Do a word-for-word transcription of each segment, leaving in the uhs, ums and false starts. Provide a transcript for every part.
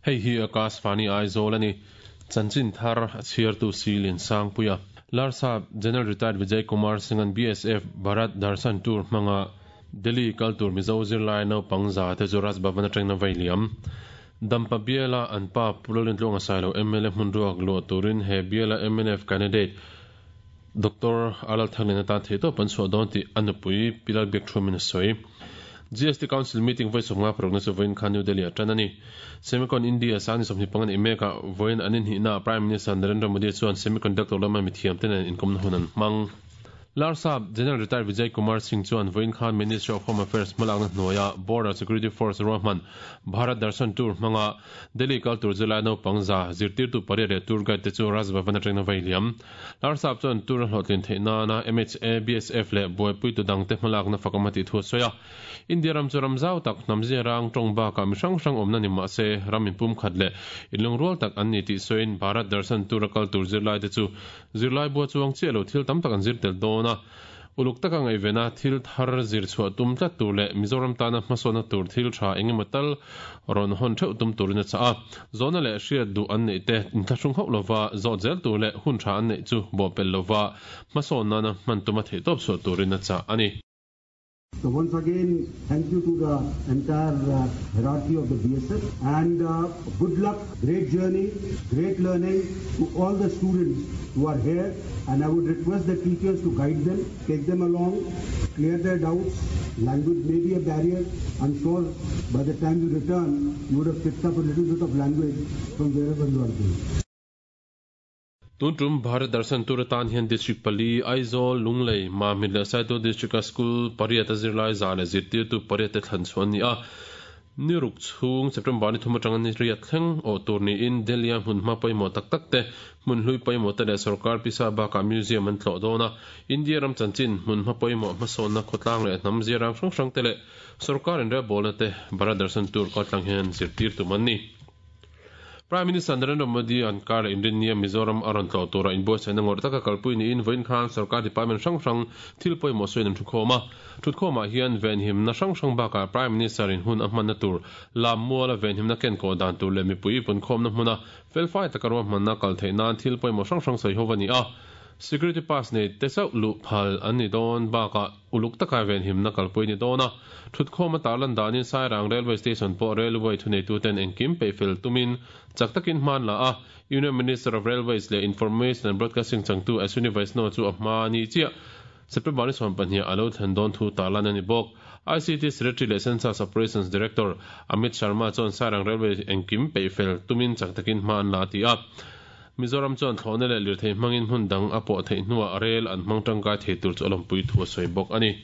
Hei hi Akashvani Aizawl ani. Chanchin thar a chhiartu si Liansangpuia. Larsap General Retired Vijay Kumar Singh an B S F Bharat Darshan Tour hmanga Delhi kal tur Mizo zirlai naupang za te chu Raj Bhavan atangin a vei liam. Dampa biala an pa Pu Lalrintluanga Sailo M L A hmun ruak luah turin he biala M N F candidate Doctor Alal Thanglin atan theihtawp an chhuah dawn tih a nupui Pi Lalbiakṭhuamin a sawi. G S T Council meeting vawi sawmnga parukna chu vawiin khan New Delhi ah tan a ni. Semicon India sang ni sawmhnih panga nih mekah vawiin an inhnihnaah Prime Minister Narendra Modi chuan semiconductor lama mithiam te nen inkawmna hun an hmang. Larsap General Retired Vijay Kumar Singh chuan vawiin khan Ministry of Home Affairs hmalakna hnuaia Border Security Force ruahman Bharat Darshan Tour hmanga Delhi kal tur zirlai naupang za, zirtirtu pariat leh tour guide te chu Raj Bhavan atangin a vei liam. Larsap chuan tour a hlawhtlin theih nana M H A, B S F leh buaipuitu dangte hmalakna fakawm a tih thu a sawi a. India ram chu ram zau tak, hnam zia rang tawng bakah mi hrang hrang awmna ni mah se ram inpum khat leh inlungrual tak an ni tih sawiin Bharat Darshan Tour a kal tur zirlai te chu zirlai bua chuang chiah lo thil tam tak an zir tel dawn a, uluk taka ngaihvena thil thar zir chhuah tum tlat tur leh Mizoram tana hmasawnna tur thil tha engemaw tal rawn hawn theuh tum turin a chah a. Zawhna leh hriat duh an neih te inthlahrung hauh lova zawt zel tur leh hun tha an neih chu bawhpelh lova hmasawn nana hman tuma theihtawp chhuah turin a chah a ni. So once again, thank you to the entire uh, hierarchy of the B S F and uh, good luck, great journey, great learning to all the students who are here, and I would request the teachers to guide them, take them along, clear their doubts. Language may be a barrier. I'm sure by the time you return, you would have picked up a little bit of language from wherever you are going. Tun tum Bharat Darshan Tour atan hian district pali Aizawl, Lunglei, Mamit leh Saitual district a school pariat a zirlai za leh zirtirtu pariat te thlan chhuah an ni a. Ni ruk chhung September ni thum atanga ni riat thleng awh tur niin Delhi a hmun hma pawimawh tak tak te, hmun hlui pawimawh te leh sorkar pisa bakah museum an tlawh dawn a. India ram chanchin, hmun hma pawimawh, hmasawnna khawtlang leh hnam ziarang hrang hrang te leh sorkar inrelbawlna te Bharat Darshan Tour kaltlang hian zirtir tum an ni. Prime Minister Narendra Modi an kar leh inrinnia Mizoram a rawn tlawh tura inbuatsaihna ngawrh taka kalpui niin vawiin khan sorkar department hrang hrang thil pawimawh sawiin an thukhawm a. Thutkhawmah hian venhimna hrang hrang bakah Prime Minister in hun a hmanna tur Lammuala venhimna kenkawh dan tur leh mipui punkhawmna hmuna felfai taka ruahmanna kal theih nan thil pawimawh hrang hrang sawi ho a ni a. Security pass nei te chauh luh phal an ni dawn bakah uluk taka venhimna kalpui ni dawn a. Thutkhawm a tarlan danin Sairang Railway Station pawh railway thuneituten engkim peihfel tumin chak takin hman la a. Union Minister of Railways leh Information and Broadcasting changtu Ashwini Vaishnaw chu a hma ni chiah September ni sawm pahnih a lo thlen dawn thu tarlan a ni bawk. I C T Secretary leh Census Operations Director Amit Sharma chuan Sairang Railway engkim peihfel tumin chak takin hma an la ti a. Mizoram chuan thlawhna leh lirthei hmangin hmun dang a pawh theih hnuah rail an hmang tangkai thei tur chu a lawmpui thu a sawi bawk a ni.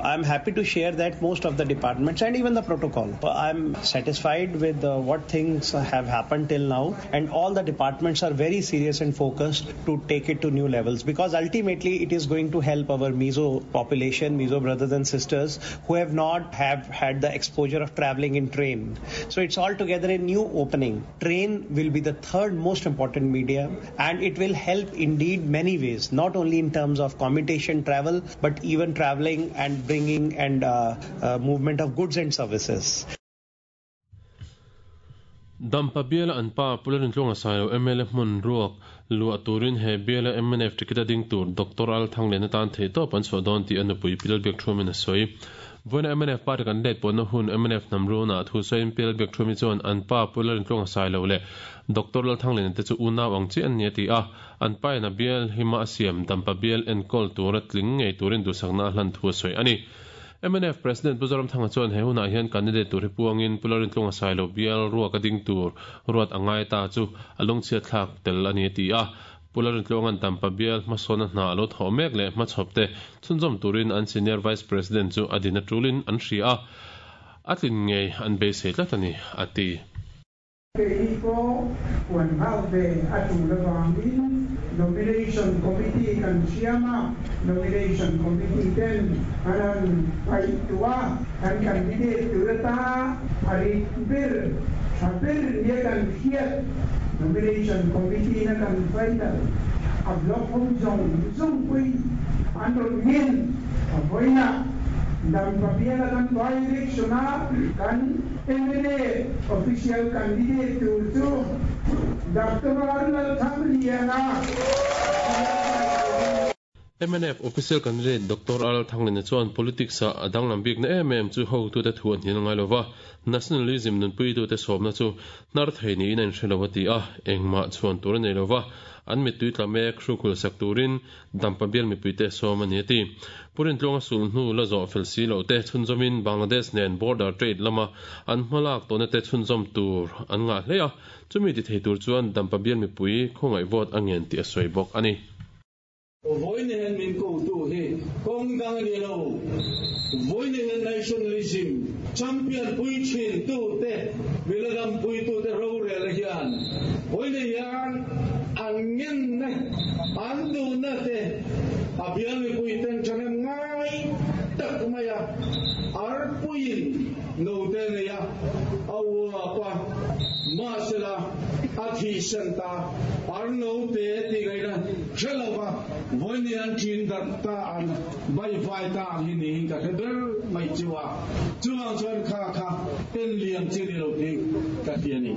I'm happy to share that most of the departments and even the protocol, I'm satisfied with uh, what things have happened till now, and all the departments are very serious and focused to take it to new levels, because ultimately it is going to help our Mizo population, Mizo brothers and sisters who have not have had the exposure of traveling in train. So it's altogether a new opening. Train will be the third most important medium, and it will help indeed many ways, not only in terms of commutation travel, but even traveling and bringing and uh, uh, movement of goods and services. Dampa biala an pa Pu Lalrintluanga Sailo M L A hmun ruak luah turin he biala M N F ticket a ding tur Doctor Al Thanglian atan theihtawp an chhuah dawn tih a nupui Pi Lalbiakṭhuamin a sawi. Vawiina M N F party kan let pawhna hun M N F hnam runa thu sawiin Pi Lalbiakṭhuami chuan an pa Pu Lalrintluanga Sailo leh Doctor Lal Thanglian te chu unau ang chiah an ni a ti a. An pa in a bial hima a siam Dampa bial enkawl tura tling ngei turin duhsakna a hlan thu a sawi a ni. M N F President Pu Zoramthanga chuan he hunah hian candidate tur hi puangin Pu Lalrintluanga Sailo bial ruak a ding tur ruat a ngai ta chu a lungchhiat thlak tel a ni a ti a. Pu Lalrintluanga'n Dampa bial hmasawnna hna a lo thawh mek leh hmachhawp te chhunzawm turin an Senior Vice President chu a din a tulin an hria a, a tlin ngei an beisei tlat a ni a ti. Kei pawh puan nghal ve a tul avangin Nomination Committee kan siam a, Nomination Committee ten an han paih tu a, kan candidate tur ata a rit ber, tha ber nia kan hriat Nomination Committee na kan final a block ho zawng zawng pawhin an rawn ngen a vawiinah. Dampa bial kan by election a kan M L A official candidate tur chu Doctor R Lalthangliana. M N F official candidate Doctor R Thangliana chuan politics a adang lambik na em em chu ho tu te thuan hin ngai lova nationalism nun pui tu te sawmna chu nar thei ni in an hrelova ti a engma chuan tur nei lova an mi tui tlamek hrukul sak turin dampa bial mi pui te sawm ani ti purin tlonga sul hnu la zo fel si lo te chhunzomin Bangladesh nen border trade lama an hmalak tawna te chhunzom tur an nga hlea chumi ti thei tur chuan dampa bial mi pui khongai vote angen ti a soi bawk ani. Voinen min ko tu he kong dang ni lo voinen nationalism champion pui chin tu te miladam pui tu te ro re le hian voinen hian an ngen ne an du na te abian mi pui ten chanem ngai tak maya ar puin no te ne ya awa pa ma sela a thi san ta ar no te ti gai na chelova voinen chin dar ta an bai vai ta hi ni ka ber mai chiwa chuang chuan kha kha ten liam chi ni lo ti ka ti ani.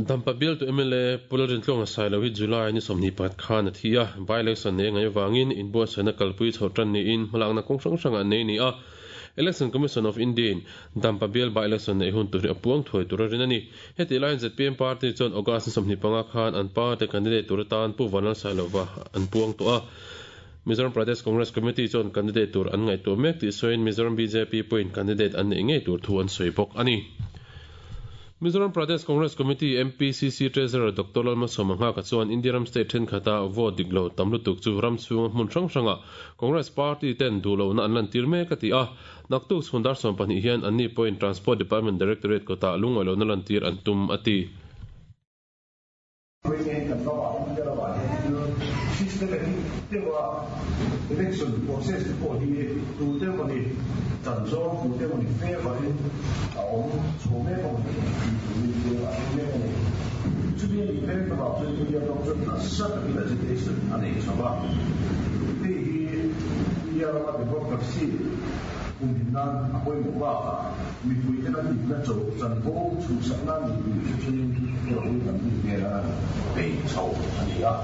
Dampa bial to M L A Pularin tlonga sailo hi July ni somni pat khan athia by election ne ngai wangin inbo sana kalpui chhotan ni in hmalakna kong hrang hranga nei ni a Election Commission of India Dampa bial by election nei hun tur apuang thoi tur rin ani heti line Z P M party chuan August somni panga khan an party candidate tur tan pu Vanal Sailova an puang to a Mizoram Pradesh Congress Committee chuan candidate tur an ngai to mek ti soin Mizoram B J P point candidate an nei ngei tur thu an soi bawk ani. Mizoram Pradesh Congress Committee M P C C Treasurer Doctor Lalma Somanga ka chuan Indiaram State then khata vote diklo tamlutuk chu ram chunga hmun hrang hranga Congress Party ten dulo na an lan tir mek ati a naktuk chhundar som pahnih hian anni point Transport Department Directorate kota lungailo na lan tir an tum ati. Election process ko hi tu te mani chan zong tu te mani favor in a om chome ko ni ni ni a me ni chu bi ni pen ba chu ni ya dong chu na sa ta agitation ani chaba ti hi ya ra democracy um hin nan a poi mo ba mi pui te na ni na cho chan bo chu sa na ni ni chu ni ni ro ni ni me ra pe chau ani a.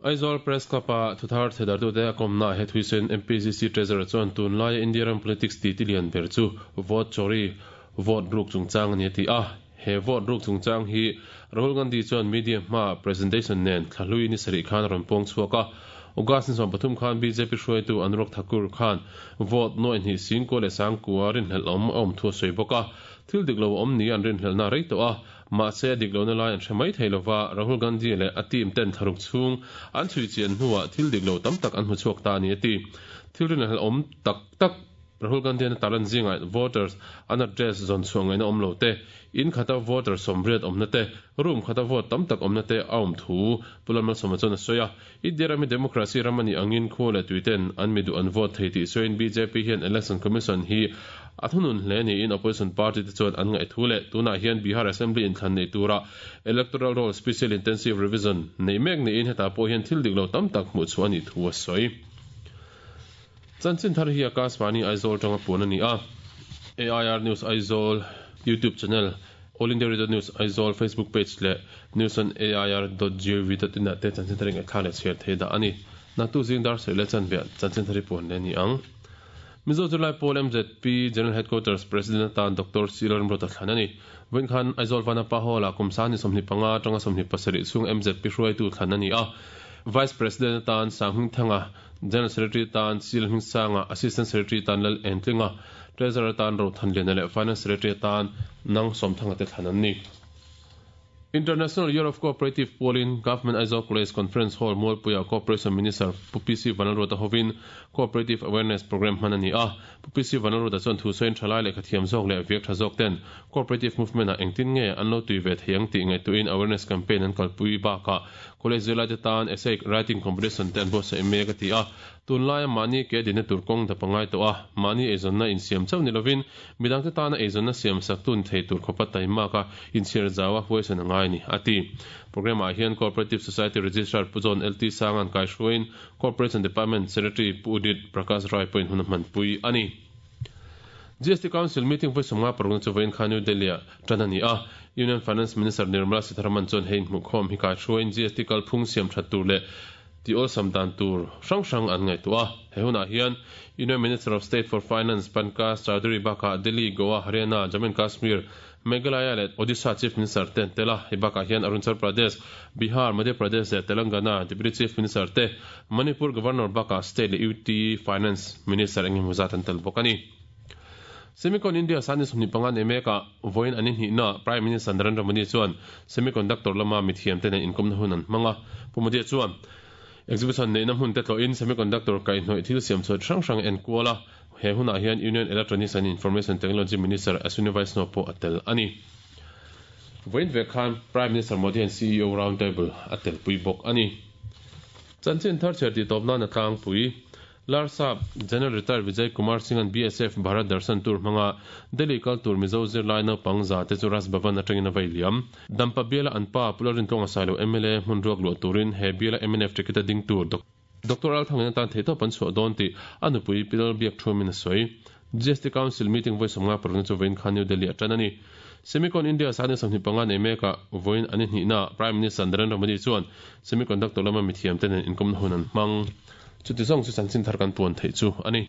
Aizawl Press Club a thuthar thedar tu te akomna he thuisen M P C C Treasurer chuan tun lai Indian politics ti tilian ber chu vote chori vote ruk chungchang ani ti a he vote ruk chungchang hi Rahul Gandhi chuan media ma presentation nen thlahlui ni sari khan ron pong chuaka August ni som pathum khan B J P hruaitu Anurag Thakur khan vote noi ni sing ko le sang kuarin hel om om thu soi boka thil diklo om ni an rin hel na rei to a ma se diklo na lai an themai theilova Rahul Gandhi le a team ten tharuk chung an chui chian hnuwa thil diklo tam tak an hmu chuak ta ni ati thil rin hel om tak tak Rahul Gandhi na talan zinga voters an address zon chuang na om lo te in khata voter somriat omna te room khata vote tam tak omna te aum thu pulalmal somachon soya idirami democracy ramani angin khole tuiten an midu an vote theiti soin B J P hian election commission hi athunun hle ni in opposition party te chuan an ngai thu le tuna hian Bihar Assembly in thlan nei tura electoral roll special intensive revision nei mek ni in heta po hian thil diklo tam tak hmu chu ani thu a soi. Chanchin thar hi Akashvani Aizawl tanga pun ani a A I R News Aizawl YouTube channel All India Radio News Aizawl Facebook page le news on A I R dot gov dot in te chanchin thar ngai thale share thei da ani na tu jing dar sele chan ve chanchin thari pun le ni ang. Mizo July Paul M Z P General Headquarters President tan Doctor Silan Brota Thlanani wen khan Aizawl vana pa hola kumsani somni panga tanga somni pasari chung M Z P hruai tu thlanani a Vice President tan Sanghung Thanga General Secretary tan Sil Hming Sanga Assistant Secretary tan Lal Entlinga Treasurer tan Ro Thanliana le Finance Secretary tan Nang Somthanga te thlanan ni. International Year of Cooperative Polling Government Aizawl College Conference Hall Mualpuia Cooperation Minister Pu P C Vanlalruata hovin Cooperative Awareness Program hmanani a Pu P C Vanlalruata chuan thu sawiin thalai leh khathiam zawk leh viak tha zawk ten Cooperative Movement a engtin nge an lo tui ve theiang tih ngaihtuahin awareness campaign an kalpui bakah College zirlai te tan essay writing competition te an buatsaih mek a ti a. Tunlaia mahni ke dinna tur kawng dap a ngai tawh a, mahni eizawnna insiam chauh ni lovin midangte tana eizawnna siam sak tun thei tur khawpa taimak a inchhiar zau a huaisan a ngai a ni, a ti. Programme ah hian Cooperative Society Registrar Pu John L T Sanga'n kaihruaiin Corporation Department Secretary Pu Udit Prakash Rai pawhin hun a hmanpui a ni. G S T Council meeting vawi sawmnga parukna chu vawiin kha New Delhi-ah tan a ni a. Union Finance Minister Nirmala Sitharaman chuan hei inhmuhkhawm hi kaihruaiin G S T kalphung siam that tur leh ti awlsam dan tur hrang hrang an ngaihtuah a. He hunah hian Union Minister of State for Finance Pankaj Chaudhary bakah Delhi, Goa, Haryana, Jammu and Kashmir, Meghalaya leh Odisha Chief Minister te an tel a. Hei bakah hian Arunachal Pradesh, Bihar, Madhya Pradesh leh Telangana Deputy Chief Minister te, Manipur Governor bakah State leh U T Finance Minister engemaw zat an tel bawk a ni. Semicon India sani sawmhnih panga nei mekah vawiin an inhnihna Prime Minister Narendra Modi chuan semiconductor lama mithiamte nen inkawmna hun an hmang a. Pu Modi chuan exhibition neihna hmun te tlawhin semiconductor kaihhnawih thil siam chhuat hrang hrang en kual a. He hunah hian Union Electronics and Information Technology Minister Ashwini Vaishnaw pawh a tel a ni. Vawiin vek khan Prime Minister Modi hian C E O round table a telpui bawk a ni. Chanchin thar chher tih tawp nan a tlangpui. Larsap General Retired Vijay Kumar Singh an B S F Bharat Darshan Tour hmanga Delhi kal tur Mizo zirlai naupang za te chu Raj Bhavan atangin a vei liam. Dampa biala an pa Pularin Tlawnga Sailo M L A hmun ruak luah turin he biala M N F ticket a ding tur Doctor Althangin atan theihtawp an chhuah dawn tih a nupui Pilal Biak Thuamin a sawi. G S T Council meeting vawi sawmnga parukna chu vawiin khan New Delhi a tan a ni. Semicon India sani sawmhnih panga nei mekah vawiin an inhnihna Prime Minister Narendra Modi chuan semiconductor lama mithiamte nen inkawmna hun an hmang. Chuti zawng chu chanchin thar kan puan theih chu a ni.